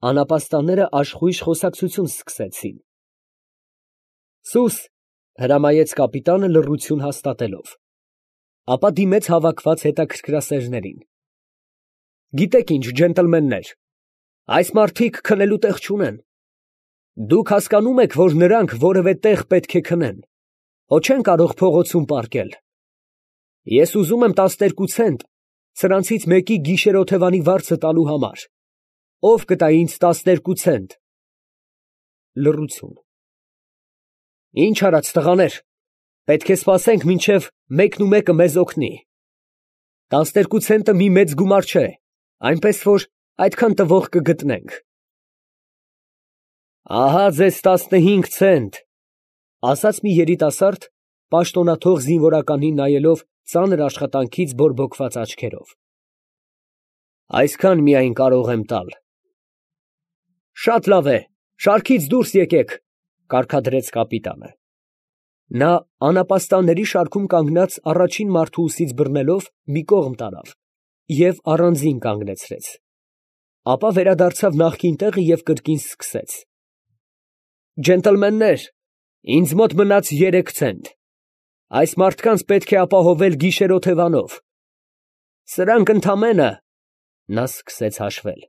Անապաստանները աշխույժ խոսակցություն սկսեցին։ Սուս, հրամայեց կապիտանը լռություն հաստատելով, ապա դիմեց հավաքված հետաքրքրասերներին. Գիտեք ինչ, ջենտլմեններ, այս մարդիկ քնելու տեղ չունեն. դուք հասկանում եք, որ նրանք որևէ տեղ պետք է քնեն, հո չեն կարող փողոցում պառկել. ես ուզում եմ 12 ցենտ սրանցից մեկի գիշերօթևանի վարձը տալու համար. ով կտա ինձ 12 ցենտ։ Լռություն։ Ինչ արած տղաներ, պետք է սպասենք, մինչև մեկն ու մեկը մեզ օգնի. 12 ցենտը մի մեծ գումար չէ, այնպես որ այդքան տվող կգտնենք։ Ահա ձեզ 15 ցենտ, ասաց մի երիտասարդ, պաշտոնաթող զինվորականին նայելով ծանր աշխատանքից բորբոքված աչքերով։ Այսքան միայն կարող եմ տալ։ Շատ լավ է, շարքից դուրս եկեք, կարգադրեց կապիտանը։ Նա անապաստանների շարքում կանգնած առաջին մարդու ուսից բռնելով մի կողմ տարավ և առանձին կանգնեցրեց, ապա վերադարձավ նախկին տեղը և կրկին սկսեց. Ջենտլմեններ, ինձ մոտ մնաց 3 ցենտ. այս մարդկանց պետք է ապահովել գիշերօթևանով. սրանք ընդամենը, նա սկսեց հաշվել,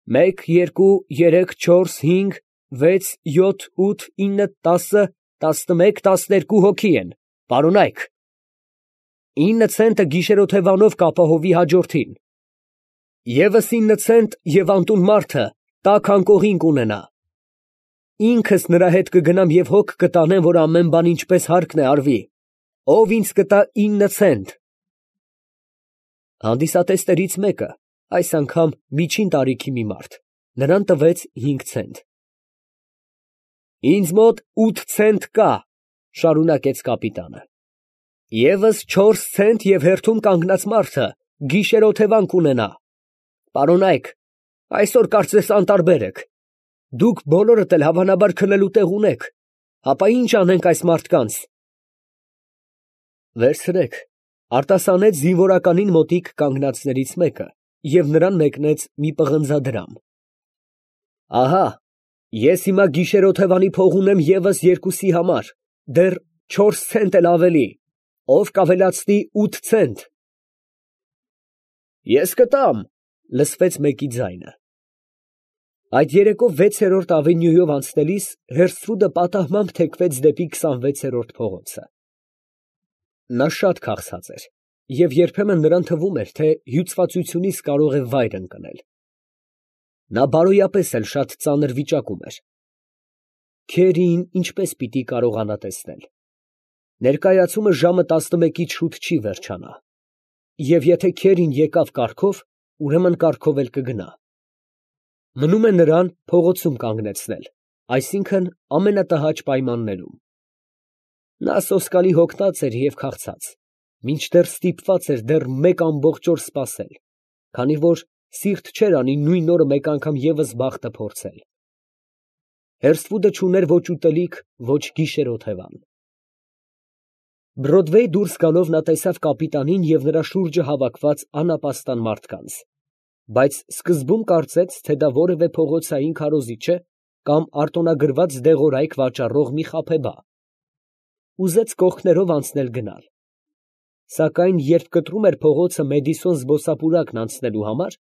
1, 2, 3, 4, 5, 6, 7, 8, 9, 10, 11, 12 հոգի են, պարոնայք, 9 ցենտը գիշերօթևանով կապահովի հաջորդին, ևս 9 ցենտ և անտուն մարդը տաք անկողին կունենա, ինքս նրա հետ կգնամ և հոգ կտանեմ, որ ամեն բան ինչպես հարկն է արվի, ով ինձ կտա 9 ցենտ։ Հանդիսատեսներից մեկը, այս անգամ միջին տարիքի մի մարդ, նրան տվեց 5 ցենտ։ Ինձ մոտ 8 ցենտ կա, շարունակեց կապիտանը, ևս 4 ցենտ և հերթում կանգնած մարդը գիշերօթևան կունենա, պարոնայք, այսօր կարծես անտարբեր եք, դուք բոլորդ էլ հավանաբար քնելու տեղ ունեք, հապա ինչ անենք այս մարդկանց։ Վերցրեք, արտասանեց զինվորականին մոտիկ կանգնածներից մեկը և նրան մեկնեց մի պղնձադրամ։ Ահա, ես հիմա գիշերօթևանի փող ունեմ ևս 2-ի համար, դեռ 4 ցենտ էլ ավելի, ով կավելացնի 8 ցենտ։ Ես կտամ, լսվեց մեկի ձայնը։ Այդ երեկո 6-րդ ավենյուով անցնելիս Հերսթվուդը պատահմամբ թեքվեց դեպի 26-րդ փողոցը։ Նա շատ քաղցած էր, և երբեմն նրան թվում էր, թե հյուծվածությունից կարող է վայր ընկնել։ Նա բարոյապես էլ շատ ծանր վիճակում էր։ Քերին ինչպես պիտի կարողանա տեսնել։ Ներկայացումը ժամը 11-ից շուտ չի վերջանա, և եթե Քերին եկավ կառքով, ուրեմն կառքով էլ կգնա։ Մնում է նրան փողոցում կանգնեցնել, այսինքն ամենատհաճ պայմաններում։ Նա սոսկալի հոգնած էր և քաղցած, մինչդեռ ստիպված էր դեռ մեկ ամբողջ օր սպասել, քանի որ սիրտ չէր անի նույն օրը մեկ անգամ ևս բախտը փորձել։ Հերսթվուդը չուներ ոչ ուտելիք, ոչ գիշերօթևան։ Բրոդվեյ դուրս գալով նա տեսավ կապիտանին և նրա շուրջը հավաքված անապաստան մարդկանց, բայց սկզբում կարծեց, թե դա որևէ փողոցային քարոզիչ է կամ արտոնագրված դեղորայք վաճառող մի խաբեբա։ Ուզեց կողքներով անցնել գնալ։ Սակայն երբ կտրում էր փողոցը Մեդիսոն զբոսապուրակն անցնելու համար,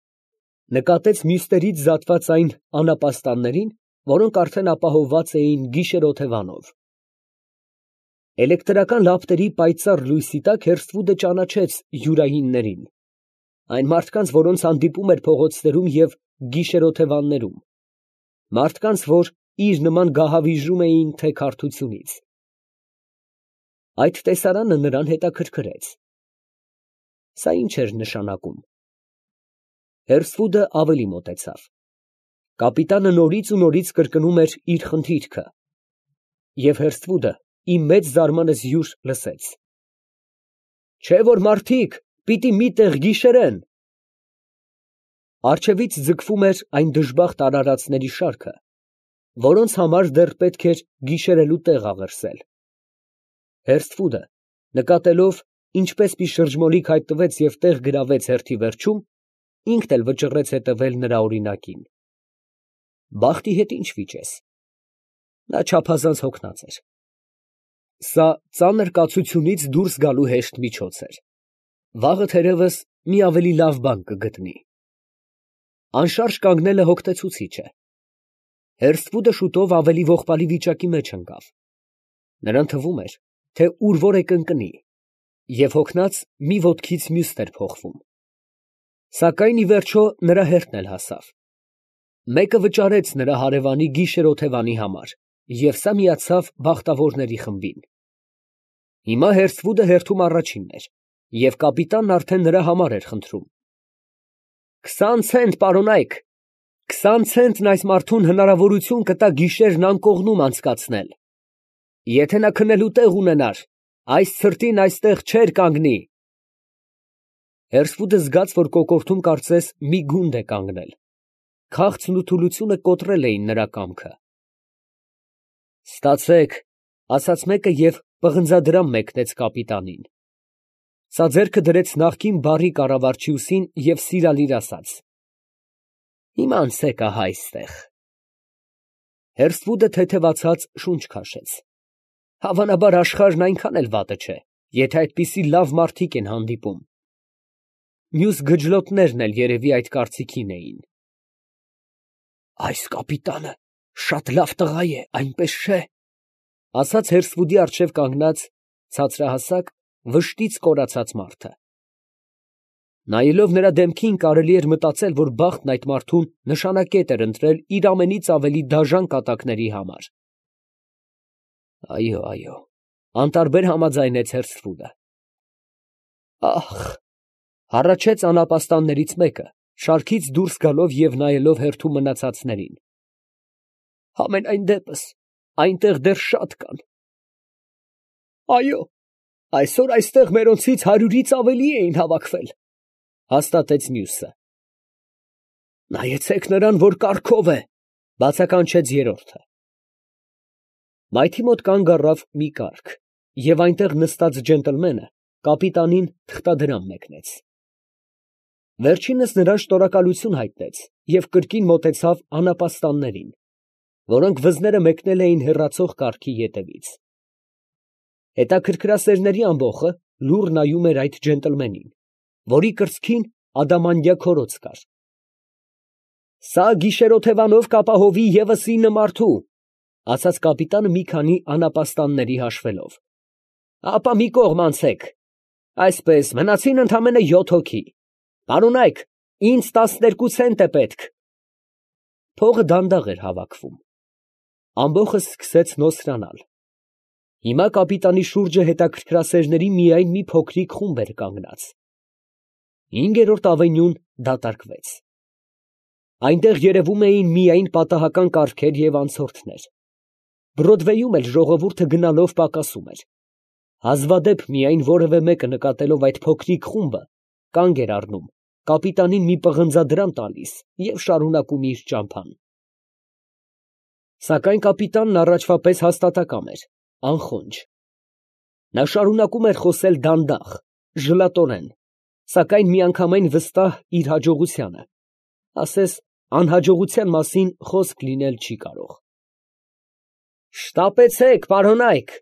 նկատեց մյուսներից զատված այն անապաստաններին, որոնք արդեն ապահովված էին գիշերօթևանով։ Էլեկտրական լապտերի պայծառ լույսի տակ Հերսթվուդը ճանաչեց յուրայիններին, այն մարդկանց, որոնց հանդիպում էր փողոցներում և գիշերօթևաններում, մարդկանց, որ իր նման գահավիժում էին թեքարդությունից։ Այդ տեսարանը նրան հետաքրքրեց։ Սա ի՞նչ էր նշանակում։ Հերսթվուդը ավելի մոտեցավ։ Կապիտանը նորից ու նորից կրկնում էր իր խնդիրքը, և Հերսթվուդը ի մեծ զարմանքս յուր լսեց. Չէ՞ որ մարդիկ պիտի մի տեղ գիշերեն։ Առջևից ձգվում էր այն դժբախտ արարածների շարքը, որոնց համար դեռ պետք էր գիշերելու տեղ աղերսել։ Հերսթվուդը, նկատելով, ինչպես մի շրջմոլիկ հայտնվեց և տեղ գրավեց հերթի վերջում, ինքն էլ վճռեց հետևել նրա օրինակին։ Բախտի հետ ինչ վիճես։ Նա չափազանց հոգնած էր։ Սա ծանր կացությունից դուրս գալու հեշտ միջոց էր։ Վաղը թերևս մի ավելի լավ բան կգտնի։ Անշարժ կանգնելը հոգնեցուցիչ է։ Հերսվուդը շուտով ավելի ողբալի վիճակի մեջ ընկավ։ Նրան թվում էր, թե ուր որ է կընկնի, և հոգնած մի ոտքից մյուսն էր փոխվում։ Սակայն ի վերջո նրա հերթն էլ հասավ։ Մեկը վճարեց նրա հարևանի գիշեր֊օթևանի համար, և սա միացավ բախտավորների խմբին։ Հիմա Հերսվուդը հերթում առաջինն էր, և կապիտանն արդեն նրա համար էր խնդրում։ 20 ցենտ, պարոնայք, 20 ցենտն այս մարդուն հնարավորություն կտա գիշերն անկողնում անցկացնել։ Եթե նա քնելու տեղ ունենար, այս ցրտին այստեղ չէր կանգնի։ Հերսվուդը զգաց, որ կոկորդում կարծես մի գունդ է կանգնել։ Քաղցն ու թուլությունը կոտրել էին նրա կամքը։ Ստացեք, ասաց մեկը և պղնձադրամ մեկնեց կապիտանին։ Սա ձեռքը դրեց նախկին բարի կառավարչի ուսին և սիրալիր ասաց. Հիմա անցեք ահա այստեղ։ Հերսվուդը թեթևացած շունչ քաշեց։ Հավանաբար աշխարհն այնքան էլ վատը չէ, եթե այդպիսի լավ մարդիկ են հանդիպում։ Մյուս գջլոտներն էլ երևի այդ կարծիքին էին։ Այս կապիտանը շատ լավ տղա է, այնպես չէ, ասաց Հերսվուդի առջև կանգնած ցածրահասակ, վշտից կորացած մարդը։ Նայելով նրա դեմքին կարելի էր մտածել, որ բախտն այդ մարդուն նշանակետ էր ընտրել իր ամենից ավելի դաժան կատակների համար։ Այո, այո, անտարբեր համաձայնեց Հերսվուդը։ Ախ, հառաչեց անապաստաններից մեկը, շարքից դուրս գալով և նայելով հերթում մնացածներին։ Համենայն դեպս, այնտեղ դեռ շատ կան։ Այո, այսօր այստեղ մերոնցից 100-ից ավելի էին հավաքվել, հաստատեց մյուսը։ Նայեցեք նրան, որ կառքով է, բացականչեց երրորդը։ Մայթի մոտ կանգ առավ մի կառք, և այնտեղ նստած ջենտլմենը կապիտանին թղթադրամ մեկնեց։ Վերջինս նրան շնորհակալություն հայտնեց և կրկին մոտեցավ անապաստաններին, որոնք վզները մեկնել էին հեռացող կառքի ետևից։ Հետաքրքրասերների ամբոխը լուռ նայում էր այդ ջենտլմենին, որի կրծքին ադամանդյա քորոց կար։ Սա գիշերօթևանով կապահովի ևս 9 մարդու, ասաց կապիտանը մի քանի անապաստանների հաշվելով։ Ապա մի կողմ անցեք։ Այսպես, մնացին ընդամենը 7 հոգի։ Պարոնայք, ինձ 12 ցենտ է պետք։ Փողը դանդաղ էր հավաքվում։ Ամբոխը սկսեց նոսրանալ։ Հիմա կապիտանի շուրջը հետաքրքրասերների միայն մի փոքրիկ խումբ էր կանգնած։ 5-րդ ավենյուն դատարկվեց։ Այնտեղ երևում էին միայն պատահական կառքեր և անցորդներ։ Բրոդվեյում էլ ժողովուրդը գնալով պակասում էր։ Հազվադեպ միայն որևէ մեկը նկատելով այդ փոքրիկ խումբը, կանգ էր առնում, կապիտանին մի պղնձադրամ տալիս և շարունակում իր ճամփան։ Սակայն կապիտանն առաջվա պես հաստատակամ էր, անխոնջ։ Նա շարունակում էր խոսել դանդաղ, ժլատորեն, սակայն միանգամայն վստահ իր հաջողությանը, ասես անհաջողության մասին խոսք լինել չի կարող։ Շտապեցեք, պարոնայք,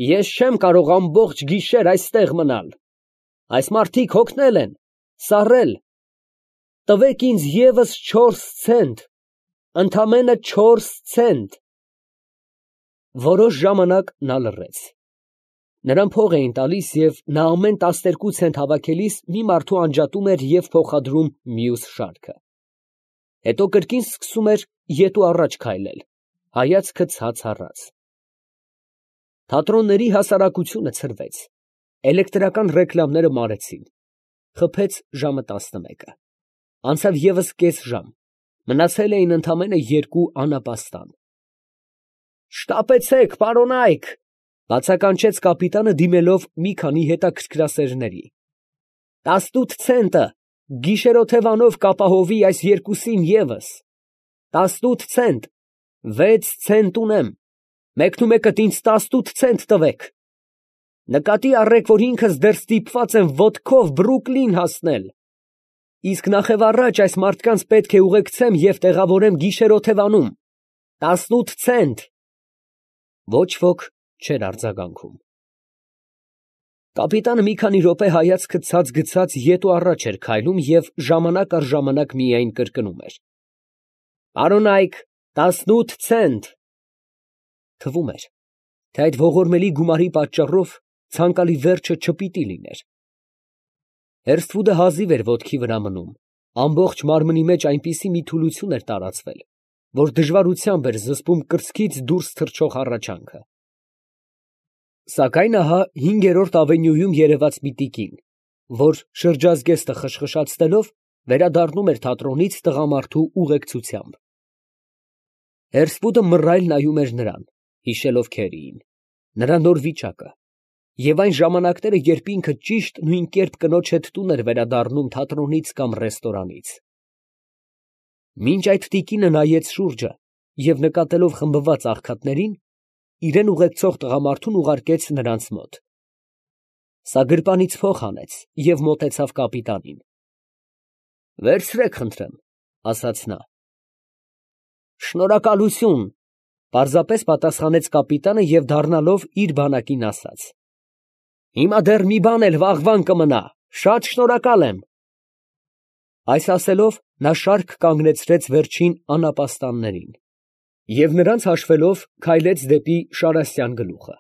ես չեմ կարող ամբողջ գիշեր այստեղ մնալ։ Այս մարդիկ հոգնել են, սառել։ Տվեք ինձ ևս 4 ցենտ, ընդամենը 4 ցենտ։ Որոշ ժամանակ նա լռեց։ Նրան փող էին տալիս և նա ամեն 12 ցենտ հավաքելիս մի մարդու անջատում էր և փոխադրում մյուս շարքը։ Հետո կրկին սկսում էր ետ ու առաջ քայլել, հայացքը ցած առած։ Թատրոնների հասարակությունը ցրվեց, էլեկտրական ռեկլամները մարեցին։ Խփեց ժամը 11-ը։ Անցավ ևս կես ժամ, մնացել էին ընդամենը 2 անապաստան։ Շտապեցեք, պարոնայք, բացականչեց կապիտանը դիմելով մի քանի հետաքրքրասերների։ 18 ցենտը, գիշերօթևանով կապահովի այս երկուսին ևս։ 18 ցենտ, 6 ցենտ ունեմ, մեկնումեկդ ինձ 18 ցենտ տվեք։ Նկատի առեք, որ ինքս դեռ ստիպված եմ ոտքով Բրուկլին հասնել։ Իսկ նախևառաջ այս մարդկանց պետք է ուղեկցեմ և տեղավորեմ գիշերօթևանում, 18 ցենտ։ Ոչ ոք չէր արձագանքում։ Կապիտանը մի քանի րոպե հայացքը ցած գցած ետ ու առաջ էր քայլում և ժամանակ առ ժամանակ միայն կրկնում էր. «Պարոնայք, 18 ցենտ»։ Թվում էր, թե այդ ողորմելի գումարի պատճառով ցանկալի վերջը չպիտի լիներ։ Հերսթվուդը հազիվ էր ոտքի վրա մնում, ամբողջ մարմնի մեջ այնպիսի մի թուլություն էր տարածվել, որ դժվարությամբ էր զսպում կրծքից դուրս թռչող հառաչանքը։ Սակայն ահա 5-րդ ավենյուում երևաց մի տիկին, որ շրջազգեստը խշխշացնելով վերադառնում էր թատրոնից տղամարդու ուղեկցությամբ։ Հերսվուդը մռայլ նայում էր նրան, հիշելով Քերիին, նրա նոր վիճակը և այն ժամանակները, երբ ինքը ճիշտ նույն կերպ կնոջ հետ տուն էր վերադառնում թատրոնից կամ ռեստորանից։ Մինչ այդ տիկինը նայեց շուրջը և նկատելով խմբված աղքատներին, իրան ուղեկցող տղամարդուն ուղարկեց նրանց մոտ։ Սա գրպանից փող հանեց և մոտեցավ կապիտանին։ «Վերցրեք, խնդրեմ», ֊ ասաց նա։ «Շնորհակալություն», ֊ պարզապես պատասխանեց կապիտանը և դառնալով իր բանակին ասաց. «Հիմա դեռ մի բան էլ վաղվան կմնա, շատ շնորհակալ եմ»։ Այս ասելով, նա շարք կանգնեցրեց վերջին անապաստաններին և նրանց հաշվելով քայլեց դեպի Շարասյան գլուխը։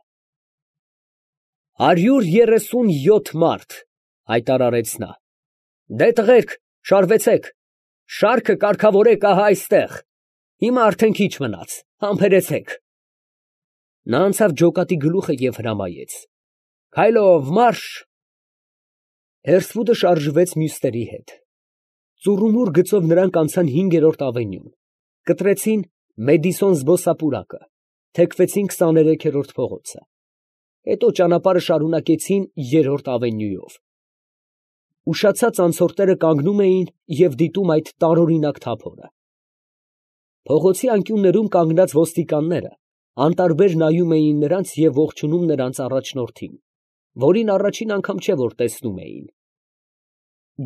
137 մարդ, ֊ հայտարարեց նա։ Դե տղերք, շարվեցեք, շարքը կարգավորեք ահա այստեղ, հիմա արդեն քիչ մնաց, համբերեցեք։ Նա անցավ ջոկատի գլուխը և հրամայեց. Քայլով մարշ։ Հերսվուդը շարժվեց մյուսների հետ։ Ծուռումուռ գծով նրանք անցան 5-րդ ավենյուն, կտրեցին Մեդիսոն զբոսապուրակը, թեքվեցին 23-րդ փողոցը, հետո ճանապարհը շարունակեցին 3-րդ ավենյուով։ Ուշացած անցորդները կանգնում էին և դիտում այդ տարօրինակ թափորը։ Փողոցի անկյուններում կանգնած ոստիկանները անտարբեր նայում էին նրանց և ողջունում նրանց առաջնորդին, որին առաջին անգամ չէ, որ տեսնում էին։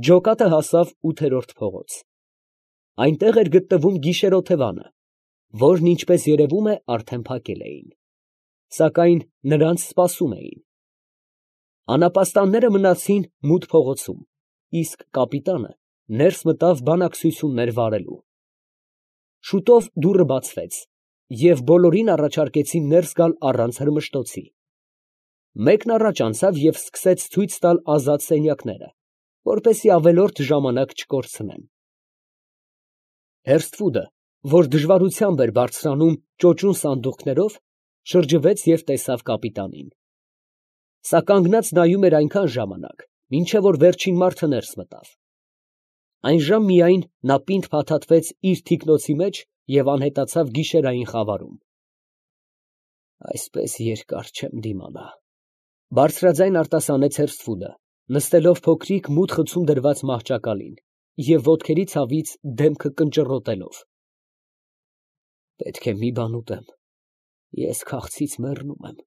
Ջոկատը հասավ 8-րդ փողոց։ Այնտեղ էր գտնվում գիշերօթևանը, որն, ինչպես երևում է, արդեն փակել էին, սակայն նրանց սպասում էին։ Անապաստանները մնացին մութ փողոցում, իսկ կապիտանը ներս մտավ բանակցություններ վարելու։ Շուտով դուռը բացվեց, և բոլորին առաջարկեցին ներս գալ առանց հրմշտոցի։ Մեկն առաջ անցավ և սկսեց ցույց տալ ազատ սենյակները, որպեսզի ավելորդ ժամանակ չկորցնեն։ Հերսթվուդը, որ դժվարությամբ էր բարձրանում ճոճուն սանդուղքներով, շրջվեց և տեսավ կապիտանին։ Սա կանգնած նայում էր այնքան ժամանակ, մինչև որ վերջին մարդը ներս մտավ։ Այնժամ միայն նա պինդ փաթաթվեց իր թիկնոցի մեջ և անհետացավ գիշերային խավարում։ Այսպես երկար չեմ դիմանա, ֊ բարձրաձայն արտասանեց Հերսթվուդը, նստելով փոքրիկ մութ խցում դրված մահճակալին և ոտքերի ցավից դեմքը կնճռոտելով։ Պետք է մի բան ուտեմ, ես քաղցից մեռնում եմ։